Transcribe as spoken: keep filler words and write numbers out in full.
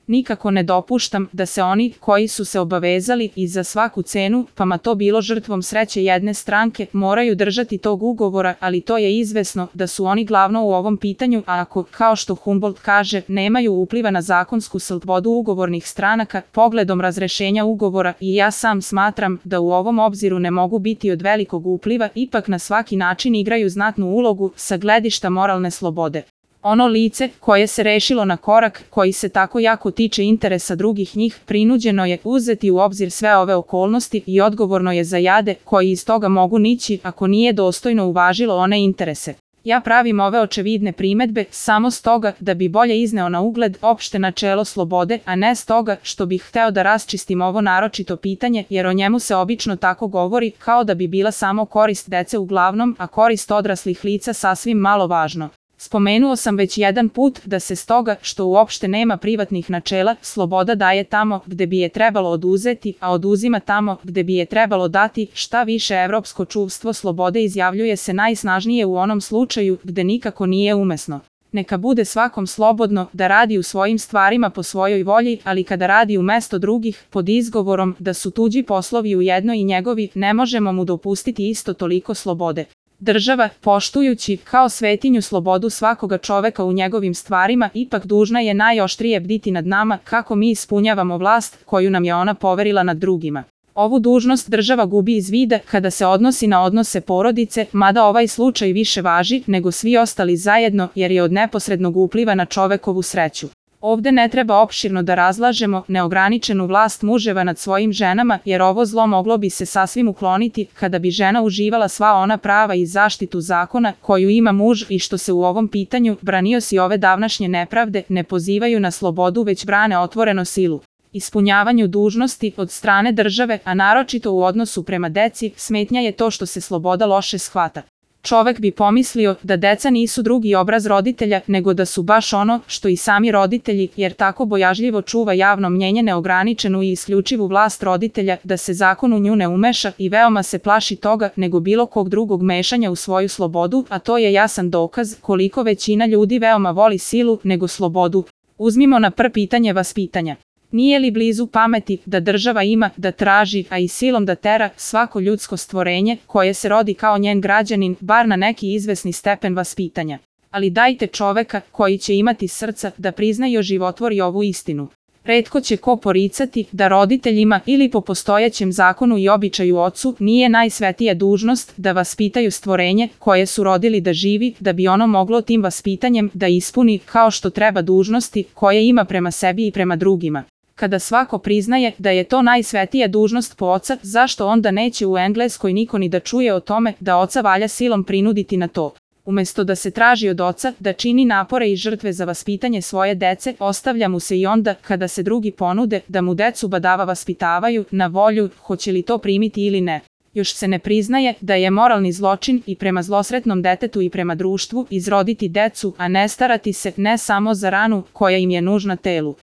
Nikako ne dopuštam da se oni koji su se obavezali i za svaku cenu, pa ma to bilo žrtvom sreće jedne stranke, moraju držati tog ugovora, ali to je izvesno da su oni glavno u ovom pitanju, a ako, kao što Humboldt kaže, nemaju upliva na zakonsku slobodu ugovornih stranaka, pogledom razrešenja ugovora, i ja sam smatram da u ovom obziru ne mogu biti od velikog upliva, ipak na svaki način igraju znatnu ulogu sa gledišta moralne slobode. Ono lice koje se rešilo na korak koji se tako jako tiče interesa drugih njih, prinuđeno je uzeti u obzir sve ove okolnosti i odgovorno je za jade koji iz toga mogu nići ako nije dostojno uvažilo one interese. Ja pravim ove očevidne primedbe samo stoga da bi bolje izneo na ugled opšte načelo slobode, a ne stoga što bih hteo da raščistim ovo naročito pitanje, jer o njemu se obično tako govori kao da bi bila samo korist dece uglavnom, a korist odraslih lica sasvim malo važno. Spomenuo sam već jedan put da se stoga što uopšte nema privatnih načela, sloboda daje tamo gde bi je trebalo oduzeti, a oduzima tamo gde bi je trebalo dati. Šta više, evropsko čuvstvo slobode izjavljuje se najsnažnije u onom slučaju gde nikako nije umesno. Neka bude svakom slobodno da radi u svojim stvarima po svojoj volji, ali kada radi umesto drugih, pod izgovorom da su tuđi poslovi ujedno i njegovi, ne možemo mu dopustiti isto toliko slobode. Država, poštujući kao svetinju slobodu svakoga čoveka u njegovim stvarima, ipak dužna je najoštrije bditi nad nama kako mi ispunjavamo vlast koju nam je ona poverila nad drugima. Ovu dužnost država gubi iz vida kada se odnosi na odnose porodice, mada ovaj slučaj više važi nego svi ostali zajedno jer je od neposrednog upliva na čovekovu sreću. Ovde ne treba opširno da razlažemo neograničenu vlast muževa nad svojim ženama, jer ovo zlo moglo bi se sasvim ukloniti kada bi žena uživala sva ona prava i zaštitu zakona koju ima muž i što se u ovom pitanju branioci ove davnašnje nepravde ne pozivaju na slobodu već brane otvoreno silu. Ispunjavanju dužnosti od strane države, a naročito u odnosu prema deci, smetnja je to što se sloboda loše shvata. Čovek bi pomislio da deca nisu drugi obraz roditelja, nego da su baš ono što i sami roditelji, jer tako bojažljivo čuva javno mnjenje neograničenu i isključivu vlast roditelja da se zakon u nju ne umeša i veoma se plaši toga nego bilo kog drugog mešanja u svoju slobodu, a to je jasan dokaz koliko većina ljudi veoma voli silu nego slobodu. Uzmimo na prvo pitanje vaspitanja. Nije li blizu pameti da država ima da traži, a i silom da tera, svako ljudsko stvorenje koje se rodi kao njen građanin, bar na neki izvesni stepen vaspitanja? Ali dajte čoveka koji će imati srca da prizna i oživotvori ovu istinu. Retko će ko poricati da roditeljima ili po postojećem zakonu i običaju ocu nije najsvetija dužnost da vaspitaju stvorenje koje su rodili da živi, da bi ono moglo tim vaspitanjem da ispuni kao što treba dužnosti koje ima prema sebi i prema drugima. Kada svako priznaje da je to najsvetija dužnost po oca, zašto onda neće u Engleskoj niko ni da čuje o tome da oca valja silom prinuditi na to? Umesto da se traži od oca da čini napore i žrtve za vaspitanje svoje dece, ostavlja mu se i onda kada se drugi ponude da mu decu badava vaspitavaju na volju, hoće li to primiti ili ne. Još se ne priznaje da je moralni zločin i prema zlosretnom detetu i prema društvu izroditi decu, a ne starati se ne samo za ranu koja im je nužna telu.